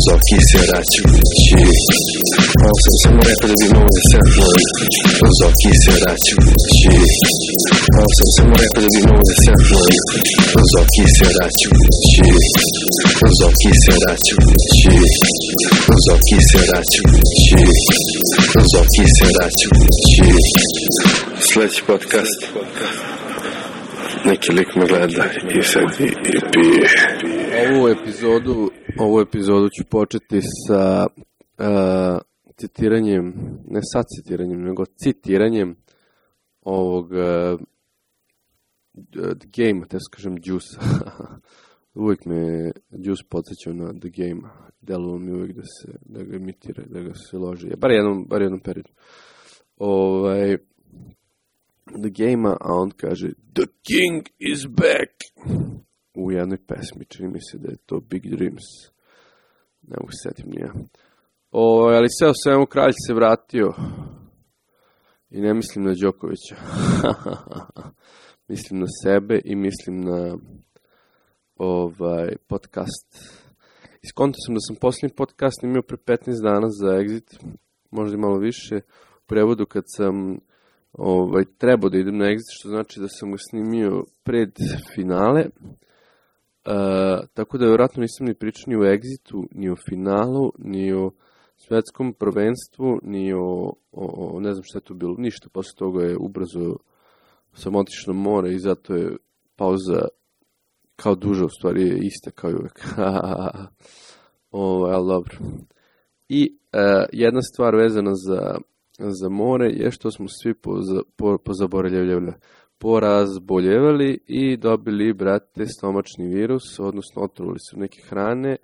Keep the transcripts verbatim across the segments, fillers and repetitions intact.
Uz oki se račući. Ovo sam samo rekao da bi mogo da samplujem. Uz oki se račući. Ovo sam samo rekao da bi mogo da samplujem. Uz oki se račući. Uz oki se račući. Uz oki se račući. Uz oki se račući. Sljedeći podcast. Neki lik me gleda i sad i, i pije. Ovu epizodu, ovu epizodu ću početi sa uh, citiranjem, ne sa citiranjem, nego citiranjem ovog uh, The Game, te kažem Juice. Uvijek me Juice podsjećao na The Game. Deluo mi uvijek da se, da ga imitira, da ga se loži. Bar jednom, bar jednom periodu. Ovaj... The Game-a, a on kaže The King is back u jednoj pesmi, čini mi se da je to Big Dreams, ne mogu se setim nije. O, ali sve o svemu kralj se vratio i ne mislim na Đokovića. Mislim na sebe i mislim na ovaj podcast. Iskonto sam da sam posljednji podcast imao pre petnaest dana za Exit, možda i malo više, u prevodu kad sam Ovaj, trebao da idem na Exit, što znači da sam ga snimio pred finale, uh, tako da vjerojatno nisam ni pričao ni o Exitu, ni o finalu, ni o svetskom prvenstvu, ni o, o, o ne znam šta je to bilo, ništa, posle toga je ubrzo sam otišao na more i zato je pauza kao duža, u stvari je ista kao i uvek. Ovaj, ali dobro. I uh, jedna stvar vezana za za more je što smo svi poza, po, pozaboravljavali, porazboljevali i dobili, brate, stomačni virus, odnosno otrovali su neke hrane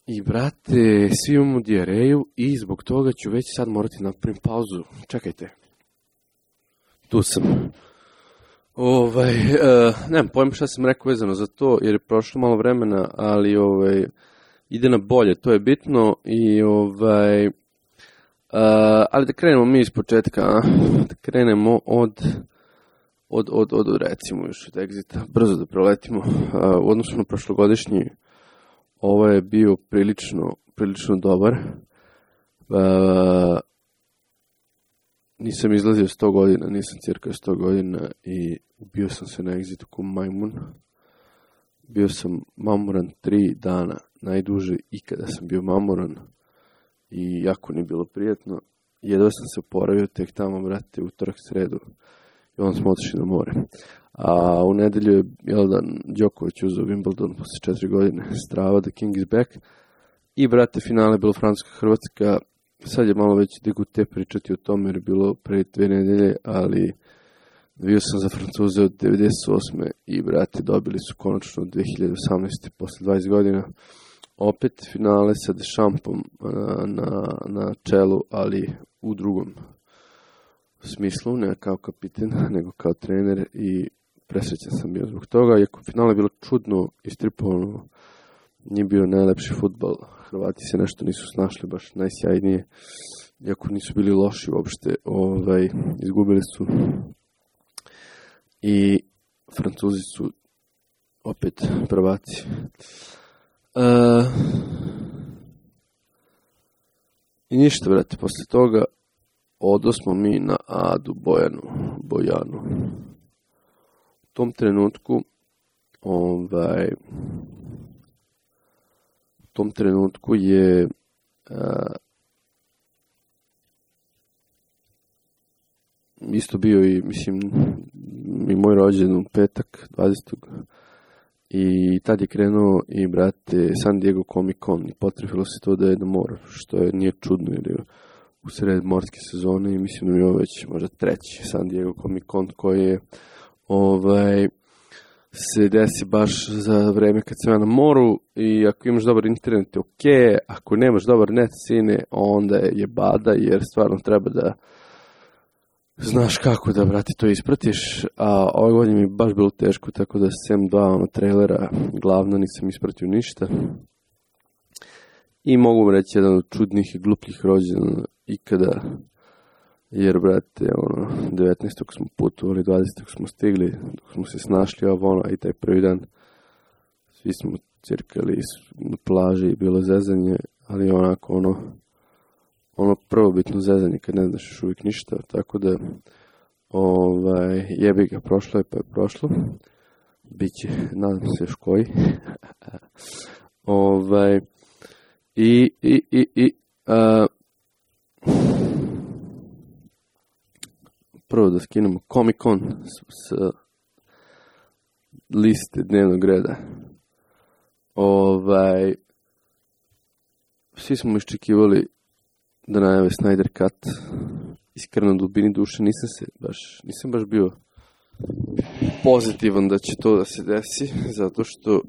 i, brate, svi imamo dijareju i zbog toga ću već sad morati napravim pauzu. Čekajte. Tu sam. Ovaj, uh, nemam pojma šta sam rekao vezano za to, jer je prošlo malo vremena, ali ovaj, ide na bolje, to je bitno i ovaj... Uh, ali da krenemo mi iz početka, a? Da krenemo od, od, od, od, recimo još od Exita, brzo da proletimo. Uh, u odnosu na prošlogodišnji, ovo je bio prilično, prilično dobar. Uh, nisam izlazio sto godina, nisam cirka sto godina i ubio sam se na Exitu ko majmun. Bio sam mamoran tri dana, najduže ikada sam bio mamoran. I jako nije bilo prijatno. Jedva sam se oporavio tek tamo, brate, utorak, sredu. I onda smo otišli na more. A u nedelju je, jel da, Đoković uzeo Wimbledon posle četiri godine. Strava, The King is back. I, brate, finale je bilo Francuska-Hrvatska. Sad je malo već degute pričati o tome jer je bilo pre dve nedelje, ali bio sam za Francuze od devedeset osme i, brate, dobili su konačno dve hiljade osamnaeste posle dvadeset godina. Opet finale sa Dechampom na, na čelu, ali u drugom smislu, ne kao kapitan, nego kao trener i presrećan sam bio zbog toga. Iako finale je bilo čudno, istripovano, nije bio najlepši fudbal. Hrvati se nešto nisu snašli baš najsjajnije, iako nisu bili loši uopšte, ovaj, izgubili su. I Francuzi su opet prvaci. Uh, I ništa, brate, posle toga odosmo mi na Adu Bojanu, Bojanu. U tom trenutku ovaj, u tom trenutku je uh, isto bio i, mislim, i moj rođendan u petak, dvadesetog I tad je krenuo i, brate, San Diego Comic Con i potrefilo se to da je na moru, što je nije čudno jer je u sred morske sezone i mislim da mi je ovo već možda treći San Diego Comic Con koji je ovaj, se desi baš za vreme kad sam ja na moru i ako imaš dobar internet je ok, ako nemaš dobar net sine onda je bada jer stvarno treba da znaš kako da, brate, to ispratiš, a ove godine mi baš bilo teško, tako da sem dva ono, trailera glavno nisam ispratio ništa. I mogu reći jedan od čudnih i glupljih rođena ikada, jer, brate, ono, devetnaestog smo putovali, dvadesetog smo stigli, dok smo se snašli ovo, ono, i taj prvi dan svi smo cirkali na plaži i bilo zezanje, ali onako ono, ono prvobitno zezanje kad ne znaš još uvijek ništa, tako da ovaj, jebi ga, prošlo je pa je prošlo. Biće, nadam se još koji. ovaj, I, i, i, i a, prvo da skinemo Comic Con s, s liste dnevnog reda. Ovaj, svi smo iščekivali da najave Snyder Cut. Iskreno, dubini duše nisam se baš, nisam baš bio pozitivan da će to da se desi, zato što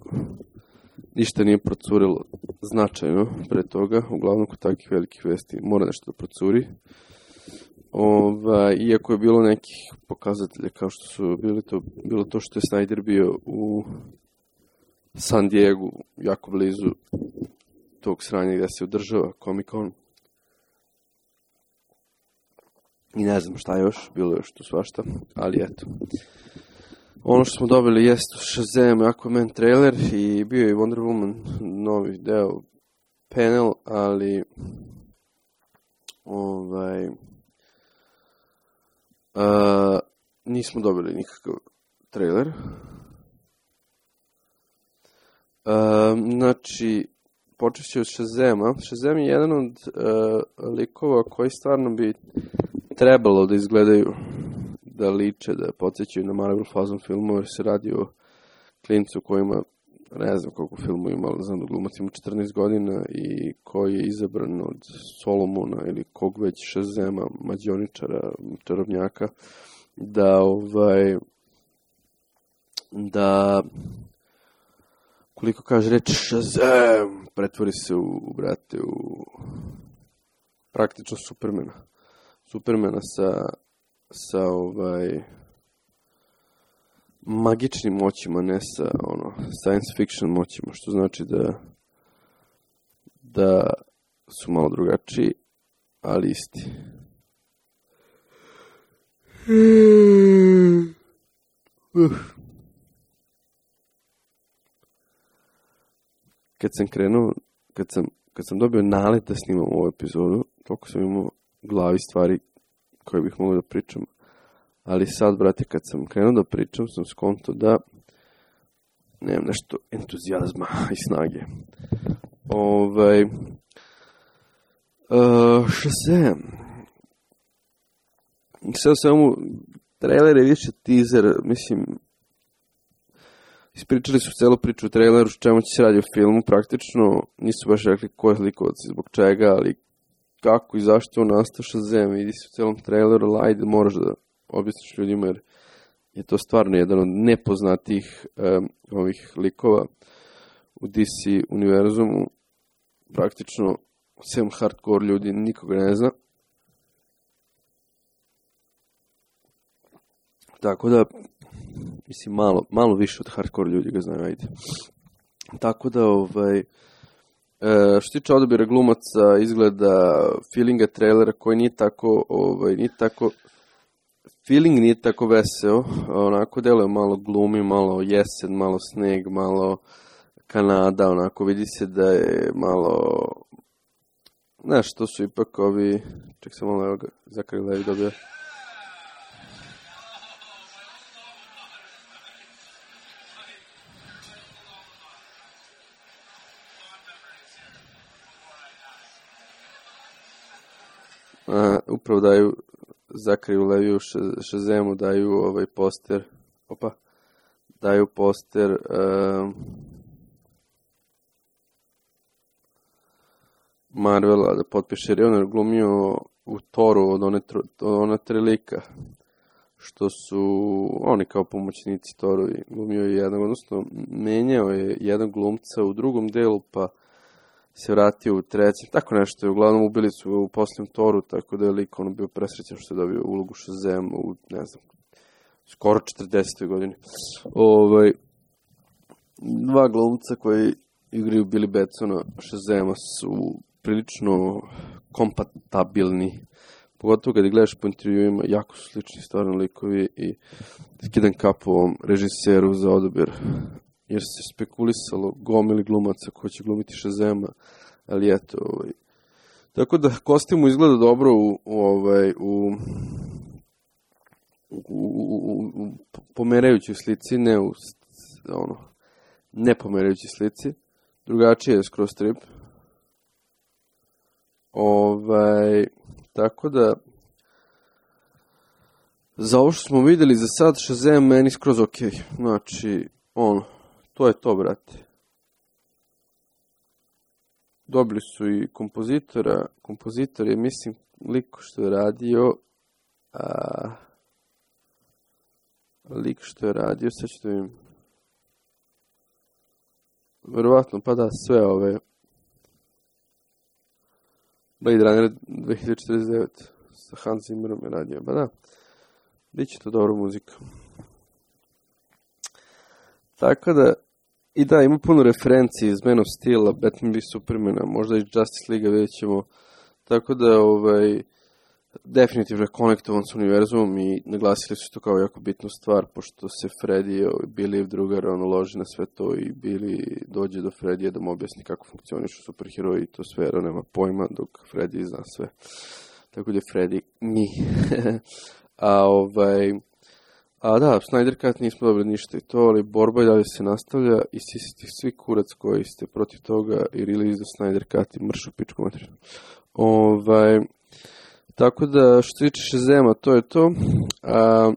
ništa nije procurilo značajno pre toga. Uglavnom, kod takvih velikih vesti mora nešto da procuri. Ova, iako je bilo nekih pokazatelja kao što su bili to, bilo to što je Snyder bio u San Diego, jako blizu tog sranja gdje se održava Comic Con. I ne znam šta još, bilo je još tu svašta, ali eto. Ono što smo dobili jeste Shazam, Aquaman trailer i bio je Wonder Woman novi deo panel, ali ovaj a, nismo dobili nikakav trailer. A, znači, počet ću od Shazama. Shazam je jedan od uh, likova koji stvarno bi trebalo da izgledaju, da liče, da podsjećaju na Marvel fazon filmove, jer se radi o klincu koji ima, ne znam koliko filmu ima, ali znam da glumac ima četrnaest godina i koji je izabran od Solomona ili kog već Shazama, mađioničara, čarobnjaka, da ovaj, da koliko kaže reč Shazam, pretvori se u, brate, u praktično Supermana. Supermana sa, sa ovaj, magičnim moćima, ne sa ono, science fiction moćima, što znači da, da su malo drugačiji, ali isti. Uf. Kad sam krenuo, kad sam, kad sam dobio nalet da snimam ovu epizodu, toliko sam imao u glavi stvari koje bih mogao da pričam. Ali sad, brate, kad sam krenuo da pričam, sam skonto da nemam nešto entuzijazma i snage. Ovaj, uh, Shazam. Sad samo, trailer je više teaser, mislim, ispričali su celu priču u traileru, čemu će se radi o filmu, praktično nisu baš rekli ko je likovac i zbog čega, ali kako i zašto on nastao Shazam, vidi se u celom traileru, ali ajde, moraš da objasniš ljudima, jer je to stvarno jedan od nepoznatih um, ovih likova u D C univerzumu, praktično sem hardcore ljudi nikoga ne zna. Tako da, mislim, malo, malo više od hardcore ljudi ga znaju, ajde. Tako da, ovaj, e, što tiče odabira glumaca, izgleda feelinga trailera koji nije tako, ovaj, nije tako, feeling nije tako veseo, onako deluje malo glumi, malo jesen, malo sneg, malo Kanada, onako vidi se da je malo, znaš, to su ipak ovi, ček se malo, evo ga, Zakari Levi dobio. Uh, upravo daju Zakariju Leviju Shazamu, daju ovaj poster, opa, daju poster uh, Marvela da potpiše, jer je on glumio u Thoru od one, od ona tri lika, što su oni kao pomoćnici Thoru, i glumio je jedan, odnosno menjao je jedan glumca u drugom delu, pa se vratio u trećem, tako nešto je, uglavnom ubili su u posljednjem Thoru, tako da je lik ono bio presrećan što je dobio ulogu Shazama u, ne znam, skoro četrdesetoj godini. Ovaj, dva glumca koji igraju Billy Batsona Shazama su prilično kompatibilni, pogotovo kada gledaš po intervjuima, jako su slični stvarno likovi, i skidam kapu ovom režiseru za odabir jer se spekulisalo gomili glumaca ko će glumiti Shazama, ali eto, ovaj. Tako da kostim izgleda dobro u, u ovaj, u, u, u, u, u pomerajućoj slici, ne u, ono, ne pomerajućoj slici, drugačije je skroz strip. Ovaj, tako da, za ovo što smo vidjeli za sad, Shazam meni skroz ok. Znači, ono, to je to, brate. Dobili su i kompozitora. Kompozitor je, mislim, lik što je radio... A, lik što je radio, sad ću da vidim. Verovatno, pa da, sve ove... Blade Runner dve hiljade četrdeset devet sa Hans Zimmerom je radio, ba da. Biće to dobra muzika. Tako da, i da, ima puno referenci iz Man of Steel-a, Batman v Supermana, možda i Justice League-a, vidjet ćemo. Tako da, ovaj, definitivno je konektovan s univerzumom i naglasili su to kao jako bitnu stvar, pošto se Freddy, Billy drugar, ono, loži na sve to i Billy dođe do Fredija da mu objasni kako funkcionišu superheroji i to sve, jer on nema pojma, dok Freddy zna sve. Tako da je Freddy nji. A ovaj... A da, Snyder Cut nismo dobili ništa i to, ali borba i dalje se nastavlja i svi, svi kurac koji ste protiv toga i release do Snyder Cut i mršu pičku materiju. Ovaj... Tako da, što se tiče Shazama, to je to. A,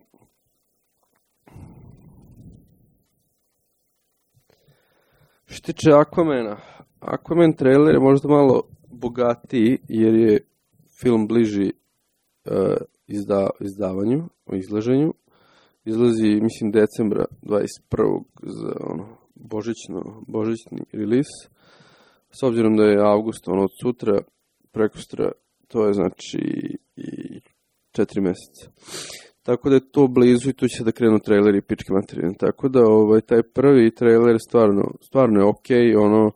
što se tiče Aquamana, Aquaman trailer je možda malo bogatiji, jer je film bliži uh, izda, izdavanju, o izlaženju. Izlazi, mislim, decembra dvadeset prvog za ono, božićno, božićni release. S obzirom da je avgust, ono, od sutra, prekosutra, to je znači i četiri mjeseca. Tako da je to blizu i tu će da krenu traileri i pičke materije. Tako da ovaj, taj prvi trailer stvarno, stvarno je okej. Okay, ono,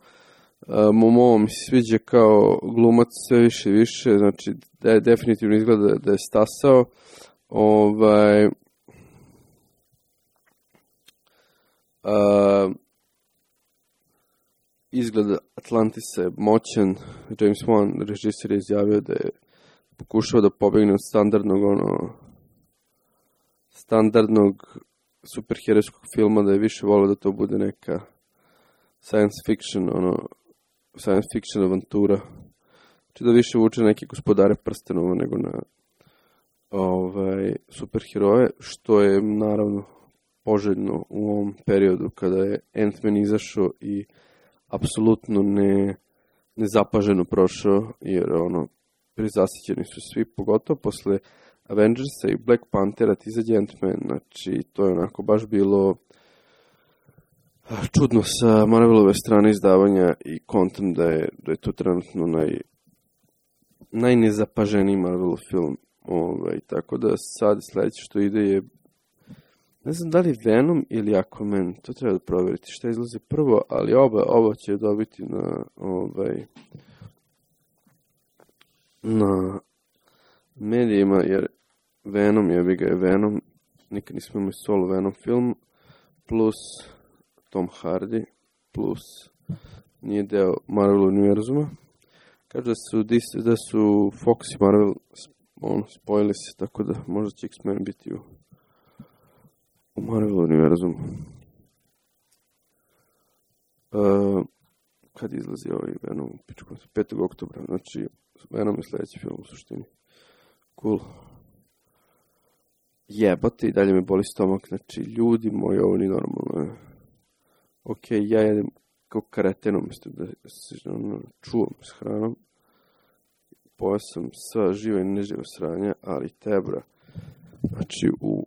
Momoa mi se sviđa kao glumac sve više i više. Znači da je definitivno izgleda da je stasao. Ovaj... Uh, izgleda Atlantisa je moćan. James Wan, režisir, je izjavio da je pokušao da pobegne od standardnog ono standardnog superherojskog filma, da je više volio da to bude neka science fiction ono science fiction avantura, znači da više vuče neke Gospodare prstenova nego na ovaj superheroje, što je naravno poželjno u ovom periodu kada je Ant-Man izašao i apsolutno ne, nezapaženo prošao, jer ono, prizasićeni su svi, pogotovo posle Avengersa i Black Panthera ti izađe Ant-Man, znači to je onako baš bilo čudno sa Marvelove strane izdavanja i kontam da je, da je to trenutno naj, najnezapaženiji Marvelov film, ovaj, tako da sad sledeće što ide je, ne znam da li Venom ili Aquaman, to treba da provjeriti šta izlazi prvo, ali oba, oba će dobiti na ovaj na medijima, jer Venom je, ga je Venom, nikad nismo imali solo Venom film, plus Tom Hardy, plus nije deo Marvel univerzuma. Kaže da su, da su Fox i Marvel on, spojili se, tako da možda će X-Men biti u u Marvel univerzumu. Uh, kad izlazi ovaj Venom? petog oktobra, znači Venom je sljedeći film u suštini. Cool. Jebate, i dalje me boli stomak, znači ljudi moji, ovo nije normalno. Ok, ja jedem kao kareteno, mislim da se ono, čuvam s hranom. Pojao sam sva živa i neživa sranja, ali tebra. Znači, u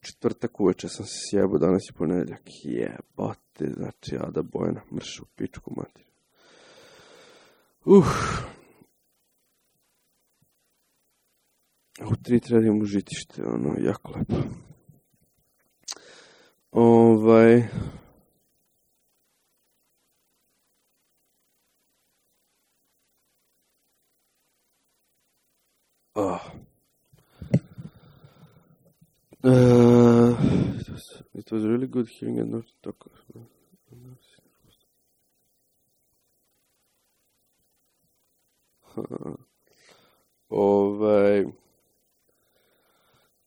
četvrtak uveče sam se sjebao, danas je ponedjeljak. Jebate, znači, Ada Bojana, mršu pičku mater. Uh. U tri treba imam užitište, ono, jako lepo. Ovaj... Oh. Uh, It was really good hearing and not talk. Ovaj,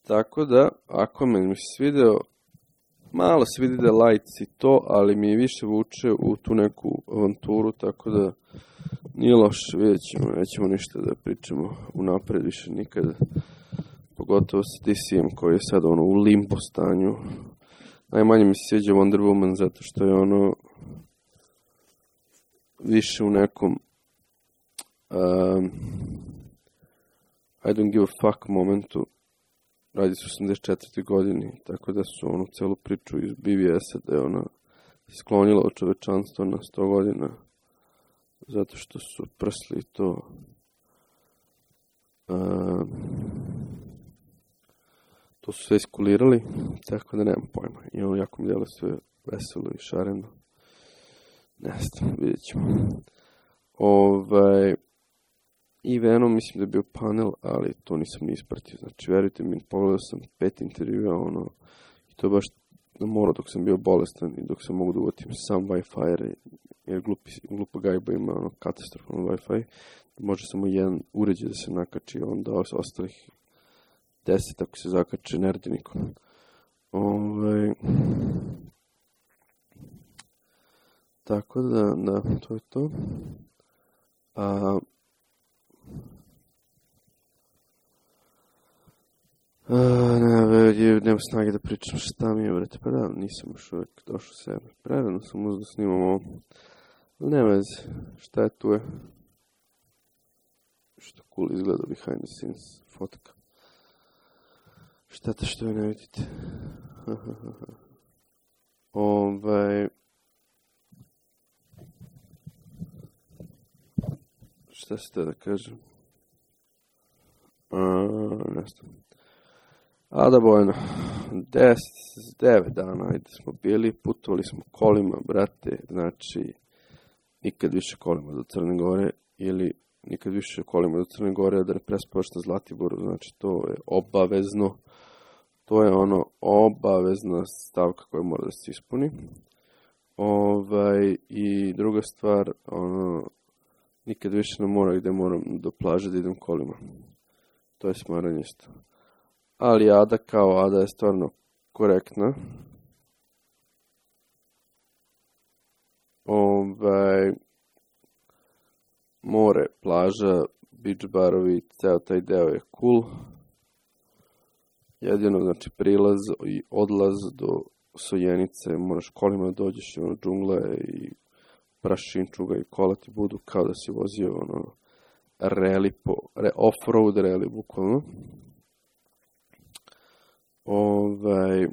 tako da, Aquaman mi se svideo, malo se vidi da je lights i to, ali mi je više vuče u tu neku avanturu, tako da nije loše, vidjet ćemo, nećemo ništa da pričamo unapred više nikada, pogotovo sa D C-em koji je sad ono u limbo stanju. Najmanje mi se sviđa Wonder Woman zato što je ono više u nekom um, I don't give a fuck momentu. Radi se u osamdeset četvrtoj godini, tako da su onu celu priču iz B V S-a da je ona sklonila od čovečanstva na sto godina zato što su prsli to um, to su sve iskulirali, tako da nemam pojma. I ono jako mi djelo sve veselo i šareno. Ne znam, vidjet ćemo. Ovaj, I Venom, mislim da je bio panel, ali to nisam ni ispratio. Znači, verujte mi, pogledao sam pet intervjua, ono, i to je baš na moru dok sam bio bolestan i dok sam mogu da uvatim sam Wi-Fi, jer glupi, glupa gajba ima ono, katastrofalno Wi-Fi. Može samo jedan uređaj da se nakači, onda ostalih deset ako se zakače nerdinikom. Ove, tako da, da, to je to. A, a ne, ne, nema snage da pričam šta mi je, vrete, pa da, nisam još uvijek došao sebe. Prerano sam uzdo snimam ovo. Ne veze, šta je tu je? Što cool izgleda behind the scenes fotka. Šteta što je ne vidite. Ovaj... Šta se te da kažem? A, ne znam. A da bojno. Deset, devet dana, ajde smo bili, putovali smo kolima, brate, znači nikad više kolima do Crne Gore, ili nikad više kolima do Crne Gore, da ne prespavaš na Zlatiboru, znači to je obavezno. To je ono obavezna stavka koja mora da se ispuni. Ovaj, i druga stvar, ono, nikad više ne mora gde moram do plaže da idem kolima. To je smaranje isto. Ali Ada kao Ada je stvarno korektna. Ovaj, more, plaža, beach barovi, ceo taj deo je cool. Jedino, znači, prilaz i odlaz do Sojenice, moraš kolima da dođeš i ono džungla i prašinčuga i kola ti budu kao da si vozio ono reli po, re, off-road reli, bukvalno. Ovaj...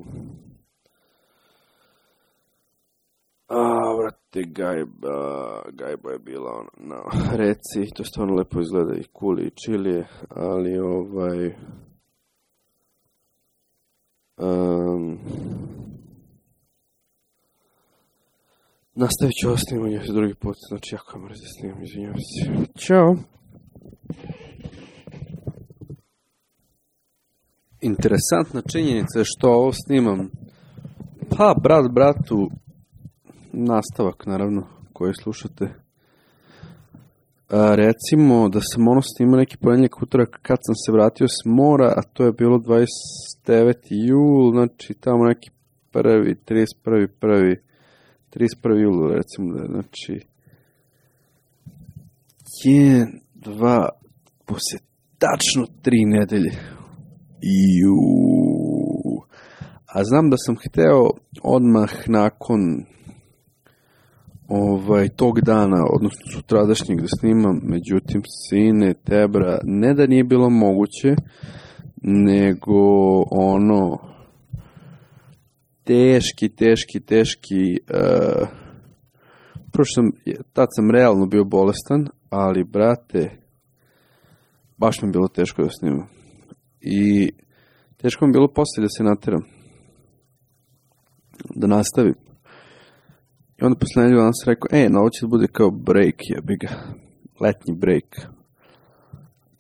A, vrate, gajba, gajba je bila ono, na reci, to stvarno lepo izgleda i cool i chill je, ali ovaj... Um, nastavit ću ovo snimanje drugi put, znači jako je mrzio snimam, izvinjam se. Ćao! Interesantna činjenica je što ovo snimam. Pa, brat bratu, nastavak naravno, koji slušate. A, recimo da sam ono snimao neki ponedjeljak utorak kad sam se vratio s mora, a to je bilo dvadeset deveti jul, znači tamo neki prvi, trideset prvi, prvi, trideset prvi jul, recimo da, znači jedan, dva, poslije tačno tri nedelje. Iuuu. A znam da sam hteo odmah nakon ovaj, tog dana, odnosno sutradašnjeg da snimam, međutim, sine, tebra, ne da nije bilo moguće, nego ono, teški, teški, teški, uh, prošlo sam, tad sam realno bio bolestan, ali, brate, baš mi je bilo teško da snimam. I teško mi je bilo poslije da se nateram, da nastavim. I onda posle nedelju dana sam rekao, e, no ovo će da bude kao break, jebi ga, letnji break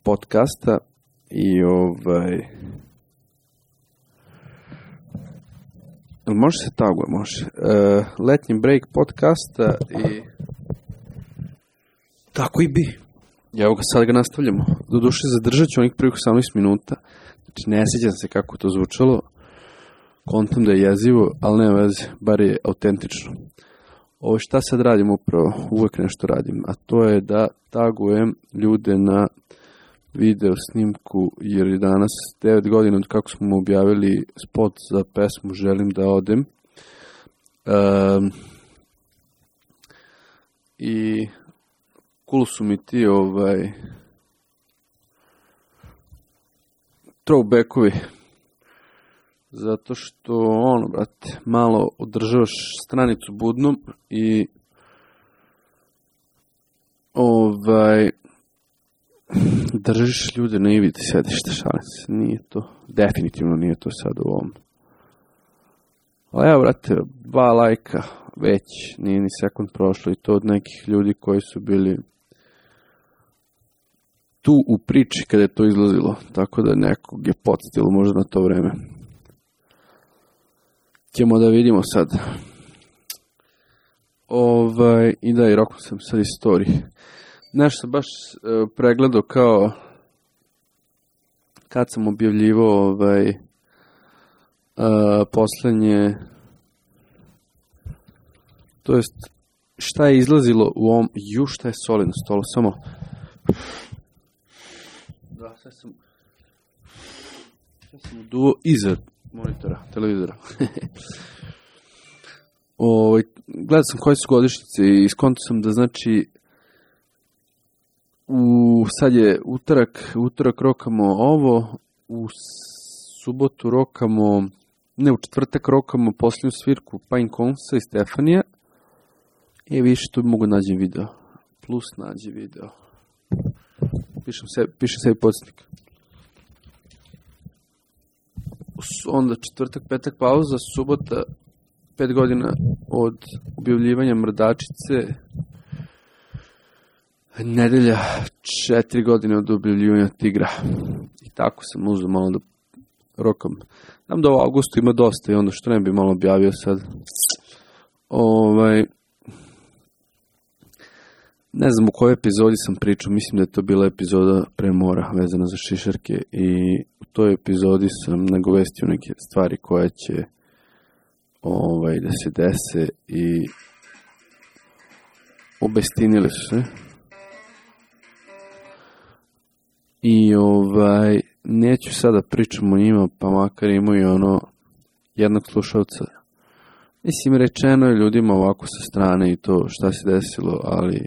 podcasta i ovaj, Može se taguje, može. Uh, letnji break podcasta i tako i bi. Evo ga, sad ga nastavljamo. Doduše, zadržat ću onih prvih osamnaest minuta. Znači, ne sjećam se kako to zvučalo. Kontam da je jezivo, ali nema veze, bar je autentično. Ovo šta sad radim upravo, uvek nešto radim, a to je da tagujem ljude na video snimku, jer je danas devet godina od kako smo objavili spot za pesmu Želim da odem. Um, I cool su mi ti ovaj throwbackovi, zato što ono, brate, malo održavaš stranicu budnom i ovaj držiš ljude na ivici sedišta, šalim se, nije to, definitivno nije to sad u ovom. Ali evo, brate, dva lajka, već, nije ni sekund prošlo i to od nekih ljudi koji su bili tu u priči kada je to izlazilo, tako da nekog je podsjetilo možda na to vreme. Ćemo da vidimo sad. Ovaj, i da, i rokao sam sad istoriji. Nešto sam baš uh, pregledao kao kad sam objavljivao ovaj, uh, poslednje, to jest šta je izlazilo u ovom, ju šta je soli na stolu, samo da, sad sam sad sam uduo iza monitora, televizora. o, gledao sam koje su godišnjice i iskonto sam da znači u, sad je utorak, utorak rokamo ovo, u subotu rokamo, ne u četvrtak rokamo posljednju svirku Pine Consa i Stefanija. I više tu mogu nađem video. Plus nađi video. Pišem sebi, pišem sebi podsjetnik. Onda četvrtak, petak pauza, subota, pet godina od objavljivanja Mrdačice, nedelja, četiri godine od objavljivanja Tigra. I tako sam uzeo malo da rokam. Znam da u augustu ima dosta i onda što ne bi malo objavio sad. Ovaj, ne znam u kojoj epizodi sam pričao, mislim da je to bila epizoda pre mora vezana za šišarke i u toj epizodi sam nagovestio neke stvari koje će ovaj, da se dese i obestinile su se. I ovaj, neću sada pričam o njima, pa makar imaju ono jednog slušalca. Mislim, rečeno je ljudima ovako sa strane i to šta se desilo, ali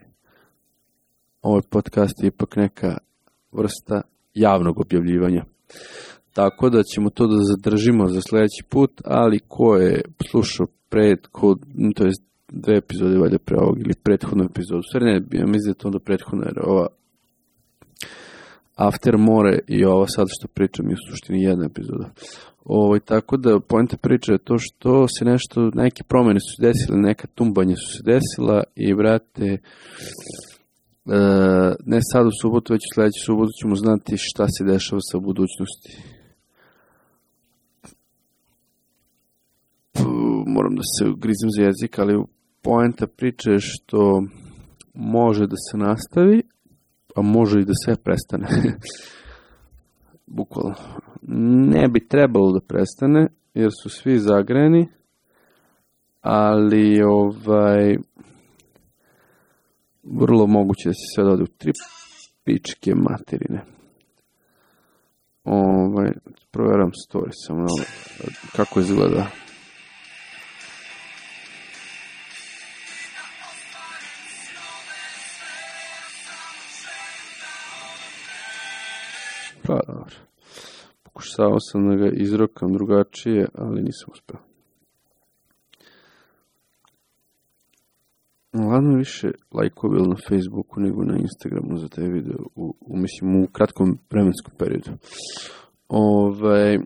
ovaj podcast je ipak neka vrsta javnog objavljivanja. Tako da ćemo to da zadržimo za sljedeći put, ali ko je slušao pred, ko, to je dve epizode valjda pre ovog ili prethodnu epizodu, sve ne, ja mislim da je to onda prethodna, jer ova After more i ovo sad što pričam je u suštini jedna epizoda. Ovo, tako da poenta priče je to što se nešto, neke promjene su se desile, neka tumbanja su se desila i brate, e, ne sad u subotu, već u sljedeću subotu ćemo znati šta se dešava sa budućnosti. Puh, moram da se grizem za jezik, ali poenta priče je što može da se nastavi, a može i da sve prestane. Bukvalno. Ne bi trebalo da prestane, jer su svi zagreni, ali ovaj vrlo moguće da se sve dode u tri pičke materine. Ovaj, provjeram story samo kako izgleda. Pa, dobro. Pokušao sam da ga izrokam drugačije, ali nisam uspeo. Ladno više lajkovi na Facebooku nego na Instagramu za taj video, u, u, mislim, u kratkom vremenskom periodu. Ove,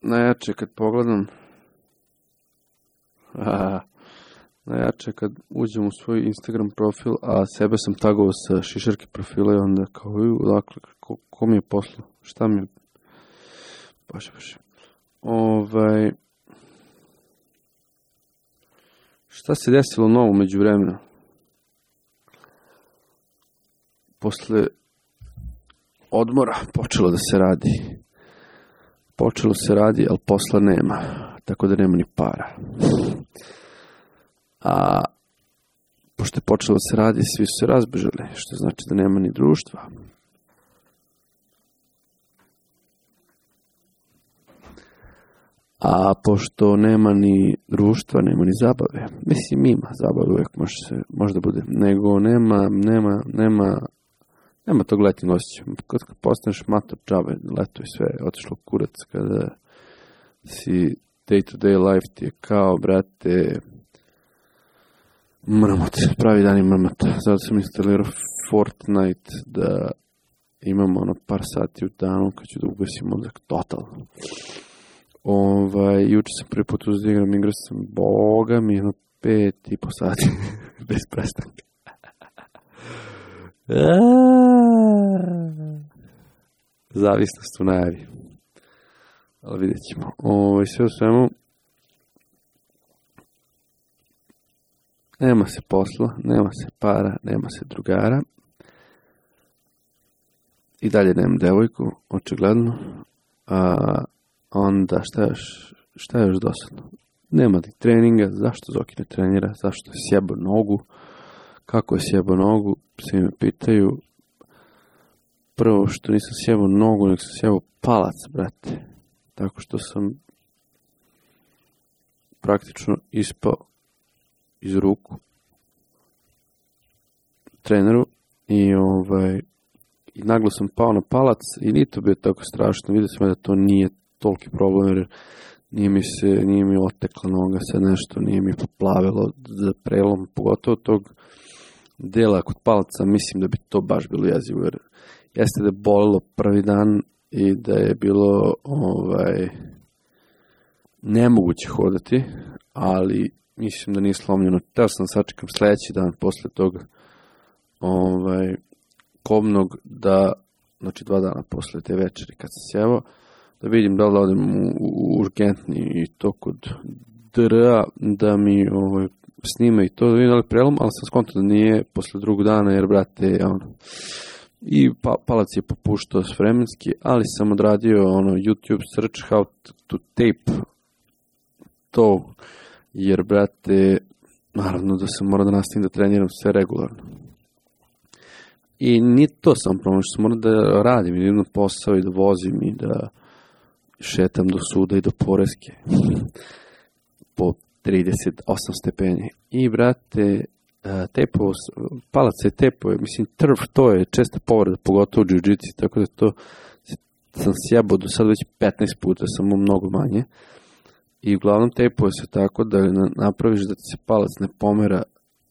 najjače kad pogledam, aha, Najjače kad uđem u svoj Instagram profil, a sebe sam tagovao sa šišarke profila i onda kao, dakle, ko, ko mi je poslao, šta mi je, baš, baš. Ovaj, šta se desilo novo među vremena? Posle odmora počelo da se radi. Počelo se radi, ali posla nema, tako da nema ni para. A pošto je počelo da se radi, svi su se razbežali, što znači da nema ni društva. A pošto nema ni društva, nema ni zabave. Mislim, ima zabave, uvijek može, se, može da bude. Nego nema, nema, nema, nema tog letnjeg osjećaja. Kad postaneš mator džabe, leto i sve, otišlo kurac, kada si day to day life ti je kao, brate, mrmot, pravi dan i mrmot. Zato sam instalirao Fortnite da imamo ono par sati u danu kad ću da ugasim mozak totalno. Ovaj, juče sam prvi put uzeo igram, igrao sam, boga mi, jedno pet i po sati, bez prestanka. Zavisnost u najavi. Ali vidjet ćemo. Ovaj, sve u svemu, nema se posla, nema se para, nema se drugara. I dalje nemam devojku, očigledno. A onda šta još, šta još dosadno? Nema ni treninga, zašto Zoki ne trenira, zašto je sjebao nogu, kako je sjebao nogu, svi me pitaju. Prvo što nisam sjebao nogu, nek sam sjebao palac, brate. Tako što sam praktično ispao iz ruku treneru i ovaj i naglo sam pao na palac i nije to bio tako strašno, vidio sam da to nije toliki problem jer nije mi se, nije mi otekla noga sad nešto, nije mi poplavilo za prelom, pogotovo tog dela kod palca, mislim da bi to baš bilo jezivo jer jeste da je bolilo prvi dan i da je bilo ovaj nemoguće hodati, ali mislim da nije slomljeno. Teo sam sačekam sljedeći dan posle tog ovaj, kobnog da, znači dva dana posle te večeri kad sam sjevao, da vidim da li odem u, u urgentni i to kod D R A da mi ovaj, snime i to da vidim da li prelom, ali sam skontao da nije posle drugog dana jer brate ono, i pa, palac je popuštao s vremenski, ali sam odradio ono YouTube search how to tape to. Jer, brate, naravno da sam morao da nastavim da treniram sve regularno. I nije to sam problem, što sam morao da radim, i da idem posao i da vozim i da šetam do suda i do poreske. Po trideset osam stepeni. I, brate, tepo, palac je tepo, mislim, trv, to je česta povreda, pogotovo u jiu-jitsu, tako da to sam sjebao do sad već petnaest puta, samo mnogo manje. I uglavnom tejpuje se tako da napraviš da ti se palac ne pomera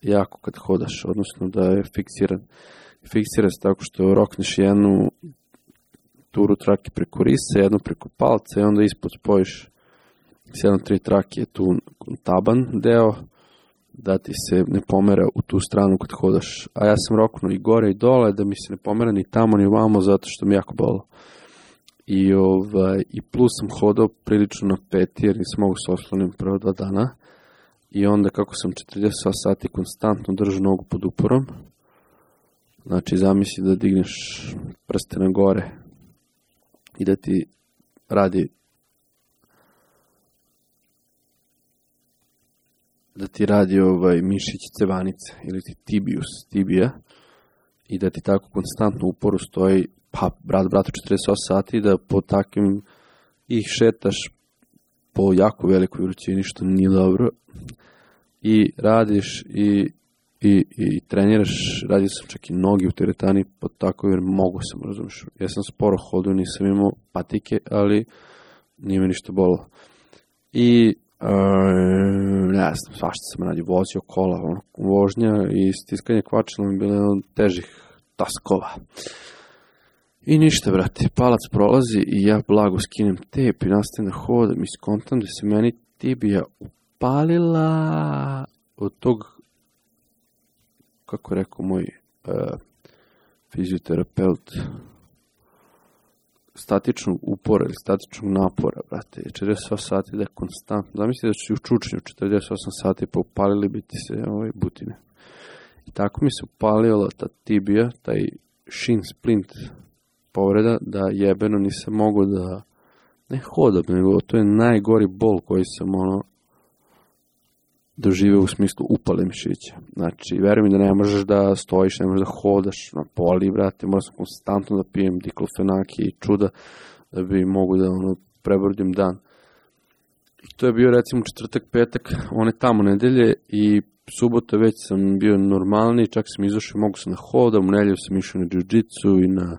jako kad hodaš, odnosno da je fiksiran. Fiksira se tako što rokneš jednu turu trake preko risa, jednu preko palca i onda ispod spojiš s jednom tri trake tu taban deo da ti se ne pomera u tu stranu kad hodaš. A ja sam roknuo i gore i dole da mi se ne pomera ni tamo ni vamo zato što mi jako bolo. I, ovaj, i plus sam hodao prilično na peti jer nisam mogu se oslonim prvo dva dana. I onda kako sam četrdeset sati konstantno držao nogu pod uporom, znači zamisli da digneš prste na gore i da ti radi da ti radi ovaj mišić cevanice ili ti tibius, tibija i da ti tako konstantno uporu stoji pa brat, bratu četrdeset osam sati da po takvim ih šetaš po jako velikoj vrućini što nije dobro i radiš i, i, i treniraš, radio sam čak i nogi u teretani po tako jer mogu sam, razumiješ, ja sam sporo hodio, nisam imao patike, ali nije me ništa bolilo i Uh, ne znam, svašta sam radio, vozio kola, ono, vožnja i stiskanje kvačila mi bilo jedan od težih taskova. I ništa, brate, palac prolazi i ja blago skinem tep i nastavim da hodam i skontam da se meni tibija upalila, od tog, kako je rekao moj uh, fizioterapeut, statičnog upora ili statičnog napora, brate, četrdeset osam sati da je konstantno. Zamislite da ću u čučnju četrdeset osam sati pa upalili bi ti se ovaj, butine. I tako mi se upalila ta tibija, taj shin splint povreda, da jebeno nisam mogao da ne hodam, nego to je najgori bol koji sam ono doživeo u smislu upale mišića. Znači, veruj mi da ne možeš da stojiš, ne možeš da hodaš na poli, brate, moram sam konstantno da pijem diklofenaki i čuda da bi mogu da ono, prebrodim dan. I to je bio recimo četvrtak, petak, one tamo nedelje i subota već sam bio normalni, čak sam izašao i mogu sam da hodam, u nedelju sam išao na jiu-jitsu i na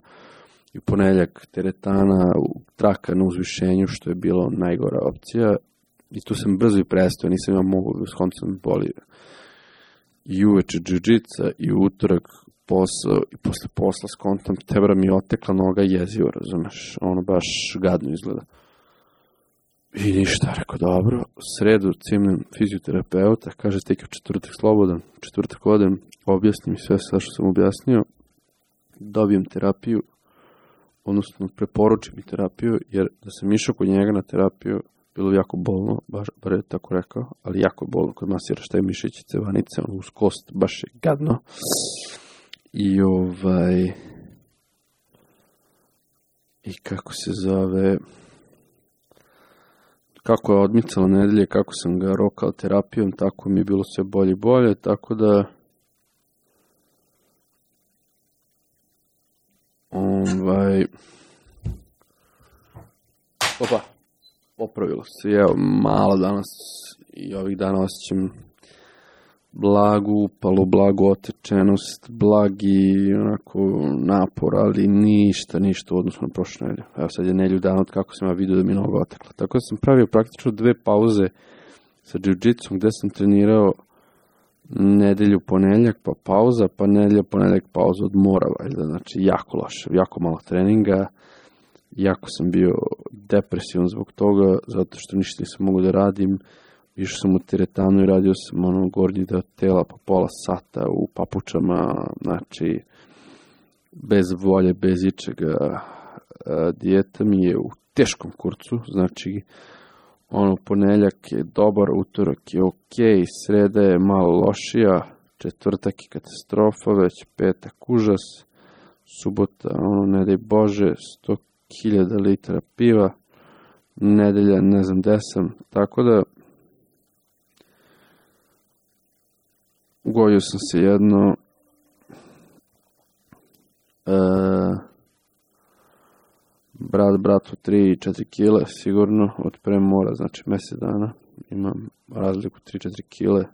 i ponedjeljak teretana, traka na uzvišenju, što je bilo najgora opcija. I tu sam brzo i prestao, nisam ja mogu, skonto sam bolio. I uveče jiu-jitsa, i utorak posao, i posle posla skontam, tebra mi je otekla noga jezivo, razumeš, ono baš gadno izgleda. I ništa, rekao, dobro, sredu cimnem fizioterapeuta, kaže, tek je četvrtak slobodan, četvrtak odem, objasnim sve sve što sam objasnio, dobijem terapiju, odnosno preporučim mi terapiju, jer da sam išao kod njega na terapiju, bilo je jako bolno, baš, bar je tako rekao, ali jako bolno kod masiraš taj mišići, cevanice, ono uz kost, baš je gadno. I ovaj, i kako se zove, kako je odmicala nedelje, kako sam ga rokao terapijom, tako mi je bilo sve bolje i bolje, tako da ovaj, opa, popravilo se, evo, malo danas i ovih dana osjećam blagu upalu, blagu otečenost, blagi onako napor, ali ništa, ništa u odnosu na prošle nedelje. Evo sad je nedelju dana od kako sam ja vidio da mi noga otekla. Tako da sam pravio praktično dve pauze sa jiu-jitsom gde sam trenirao nedelju ponedjeljak pa pauza, pa nedelja ponedjeljak pauza od mora, valjda. Znači jako loše, jako malo treninga, jako sam bio depresivan zbog toga, zato što ništa nisam mogu da radim. Išao sam u teretanu i radio sam ono gornji deo tela po pola sata u papučama, znači bez volje, bez ičega. Dijeta mi je u teškom kurcu, znači ono ponedjeljak je dobar, utorak je ok, sreda je malo lošija, četvrtak je katastrofa, već petak užas, subota, ono ne daj Bože, sto hiljada litara piva, nedelja ne znam gde sam, tako da ugojio sam se jedno e, brat bratu tri četiri kile sigurno od pre mora, znači mjesec dana imam razliku tri četiri kile,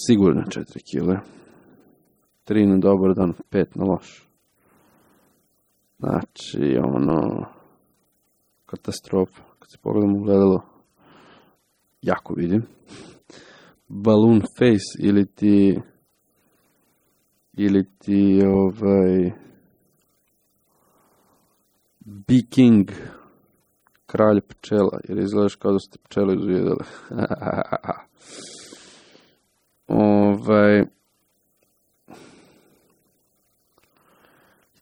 sigurno četiri kile, tri na dobar dan, pet na loš, znači ono katastrofa. Kad se pogledam u gledalo, jako vidim balloon face ili ti ili ti ovaj Bee King, kralj pčela, jer izgledaš kao da ste pčelu izvijedali. ovaj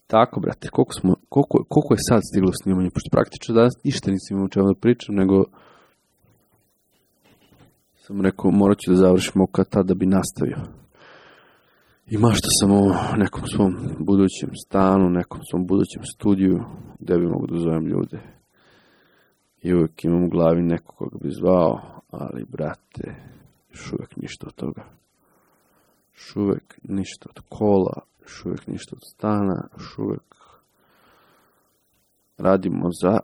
tako, brate, koliko smo koliko, koliko je sad stiglo snimanje, pošto praktično danas ništa nisam imao o čemu da pričam, nego sam rekao, morat ću da završimo kad tad da bi nastavio. I mašta sam o nekom svom budućem stanu, nekom svom budućem studiju, gde bi mogu da zovem ljude. I uvijek imam u glavi nekog koga bi zvao, ali, brate, još uvijek ništa od toga. Još uvijek ništa od kola, još uvijek ništa od stana, još uvijek radimo za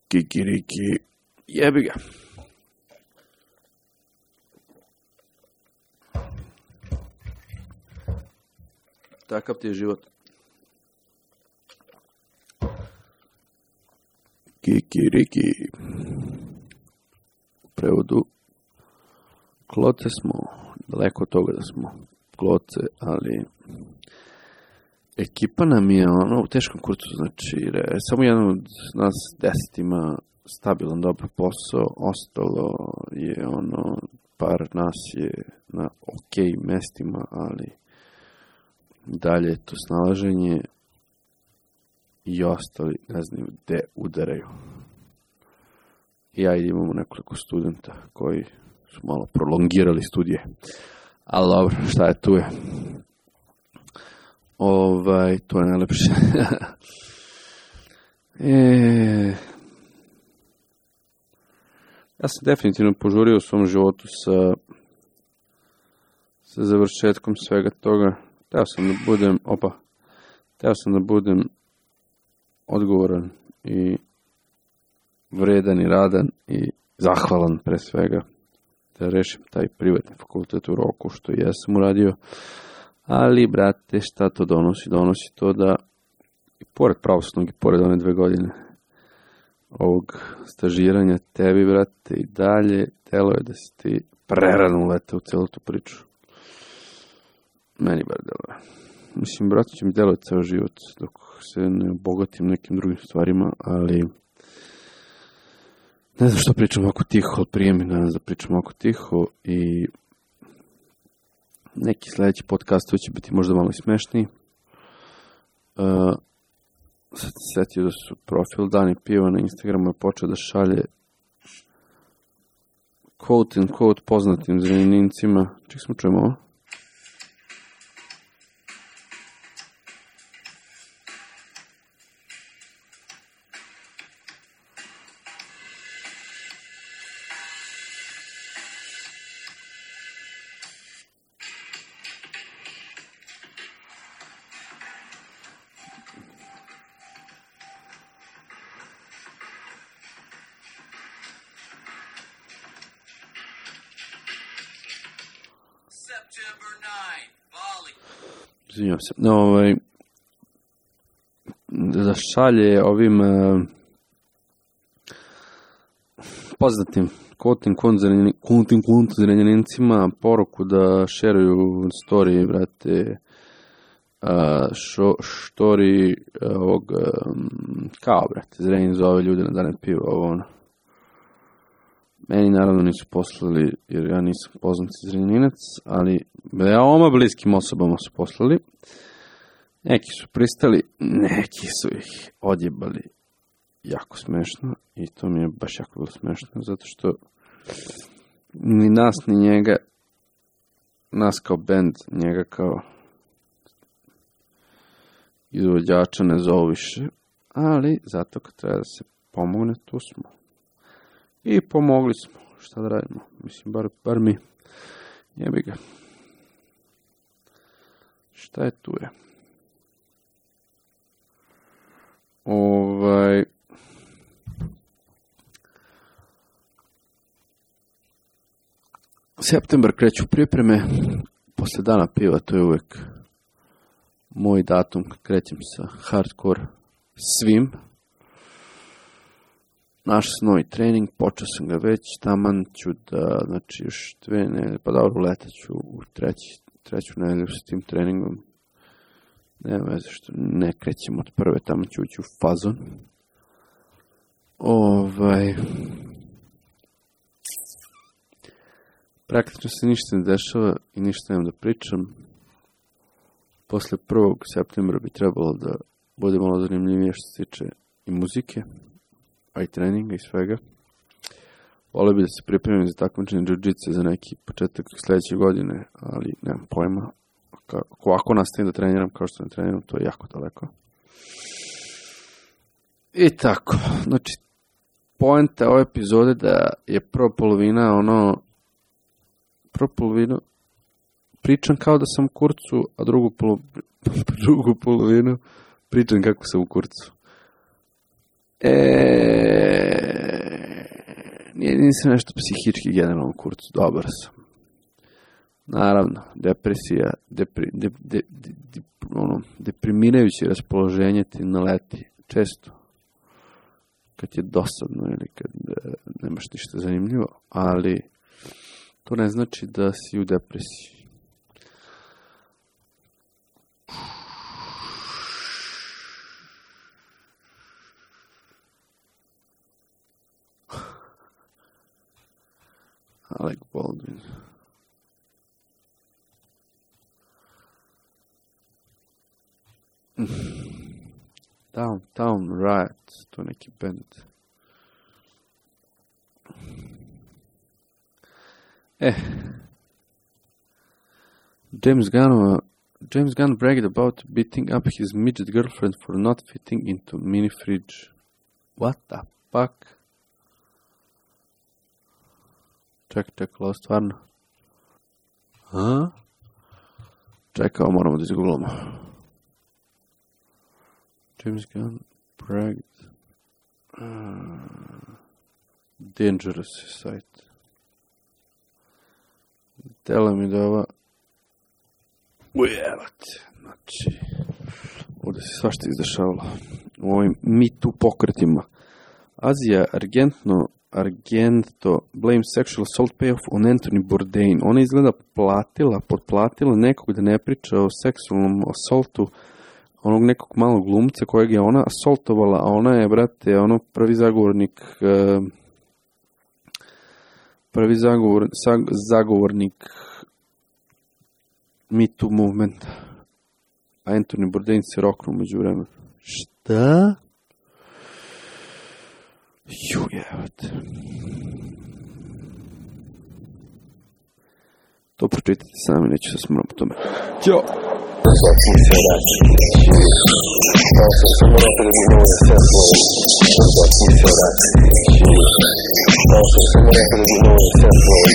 kikiriki. Jebi ga. Takav ti je život. Kikiriki. U prevodu, kloce smo, daleko od toga da smo kloce, ali ekipa nam je ono u teškom kurcu, znači re, samo jedan od nas deset ima stabilan dobar posao, ostalo je ono par nas je na ok mestima, ali dalje je to snalaženje i ostali ne znaju gde udaraju. I ja imamo nekoliko studenta koji su malo prolongirali studije. Ali dobro, šta je tu je? Ovaj, to je najlepše. e... Ja sam definitivno požurio u svom životu sa, sa završetkom svega toga. Teo sam da budem, opa, teo sam da budem odgovoran i vredan i radan i zahvalan pre svega da rešim taj privatni fakultet u roku što i jesam uradio. Ali, brate, šta to donosi? Donosi to da i pored pravosudnog i pored one dve godine ovog stažiranja tebi, brate, i dalje telo je da si ti prerano ulete u celu tu priču. Meni bar deluje. Mislim, brate, će mi deluje ceo život dok se ne obogatim nekim drugim stvarima, ali ne znam što pričam ovako tiho, ali prije mi danas da pričam ovako tiho i neki sledeći podcast će biti možda malo smešniji. Uh, sad se setio da su profil Dani Piva na Instagramu je počeo da šalje quote and quote poznatim zrenjanincima. Ček smo čujemo ovo? Izvinjam se. No, ovaj, da šalje ovim uh, poznatim kontim zrenjanincima poruku da šeruju story, brate, uh, šo, story uh, ovog um, kao, brate, Zrenjanin zove ljude na Dane Piva, ovo ono. Meni naravno nisu poslali, jer ja nisam poznat Zrenjaninac, ali veoma bliskim osobama su poslali. Neki su pristali, neki su ih odjebali jako smešno i to mi je baš jako bilo smešno, zato što ni nas, ni njega, nas kao band, njega kao izvođača ne zovu više, ali zato kad treba da se pomogne, tu smo. I pomogli smo, šta da radimo, mislim, bar, bar mi, jebi ga. Šta je tu je? Ovaj... Septembar kreću pripreme, posle Dana Piva, to je uvek moj datum, krećem sa hardcore svim. Naš novi trening, počeo sam ga već, taman ću da, znači još dve nedelje, pa dobro, letaću u treći, treću nedelju sa tim treningom. Nema veze što ne krećem od prve, tamo ću ući u fazon. Ovaj... Praktično se ništa ne dešava i ništa nemam da pričam. Posle prvog septembra bi trebalo da bude malo zanimljivije što se tiče i muzike, a i treninga i svega. Volio bi da se pripremim za takmičenje jiu-jitsu za neki početak sledeće godine, ali nemam pojma. Ako, ako nastavim da treniram kao što ne treniram, to je jako daleko. I tako, znači, poenta ove epizode da je prva polovina ono, prvu polovinu pričam kao da sam u kurcu, a drugu, polo, drugu polovinu pričam kako sam u kurcu. E, nije, nisam nešto psihički generalno u kurcu, dobar sam. Naravno, depresija, depri, de, de, de, de, ono, deprimirajuće raspoloženje ti naleti često. Kad je dosadno ili kad e, nemaš ništa zanimljivo, ali to ne znači da si u depresiji. Alec Baldwin. Downtown Riot, to neki band. Eh. James Gunn, James Gunn bragged about beating up his midget girlfriend for not fitting into mini fridge. What the fuck? Čekaj, čekaj, ovo stvarno. A? Čekaj, ovo moramo da izgooglamo. James Gunn bragged. Uh, dangerous site. Tela mi da ova... Ujevate, znači... Ovdje se svašta izdešavalo. U ovim Me Too pokretima. Azija Argento, Argento blame sexual assault payoff on Anthony Bourdain. Ona izgleda platila, potplatila nekog da ne priča o seksualnom assaultu onog nekog malog glumca kojeg je ona assaultovala, a ona je, brate, ono prvi zagovornik prvi zagovor, zagovornik Me Too movementa. A Anthony Bourdain se roknuo među vremenu. Šta? Ju, jevate. To pročitajte sami, neću se smrati po tome. Ćao! Zločin se vraća. Kao što sam rekao da bi moje sve svoje. Zločin se vraća. Kao što sam rekao da bi moje sve svoje.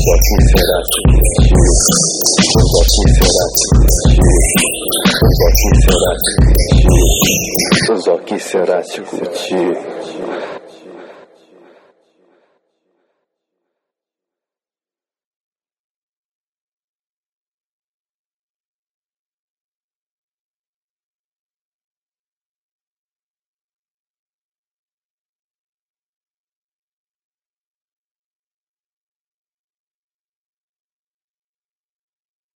Zločin se vraća. Zločin se vraća. Zločin se vraća. Zločin se vraća kući.